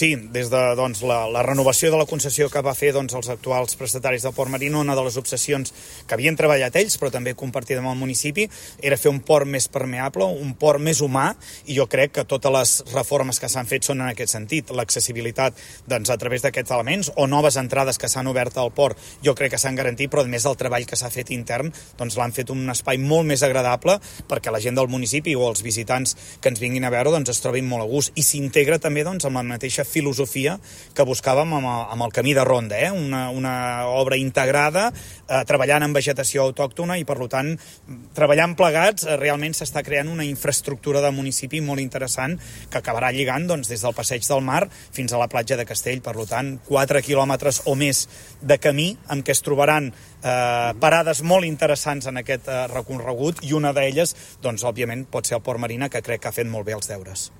Sí, des de la renovació de la concessió que va fer els actuals prestataris del Port Marí, una de les obsessions que havien treballat ells, però també compartida amb el municipi, era fer un port més permeable, un port més humà, i jo crec que totes les reformes que s'han fet són en aquest sentit. L'accessibilitat a través d'aquests elements o noves entrades que s'han obert al port, jo crec que s'han garantit, però a més del treball que s'ha fet intern, l'han fet un espai molt més agradable perquè la gent del municipi o els visitants que ens vinguin a veure es trobin molt a gust, i s'integra també amb la mateixa filosofia que buscàvem amb el Camí de Ronda, una obra integrada, treballant en vegetació autòctona, i per tant, treballant plegats, realment s'està creant una infraestructura de municipi molt interessant que acabarà lligant des del Passeig del Mar fins a la platja de Castell. Per tant, 4 quilòmetres o més de camí en què es trobaran parades molt interessants en aquest recorregut, i una d'elles, òbviament, pot ser el Port Marina, que crec que ha fet molt bé els deures.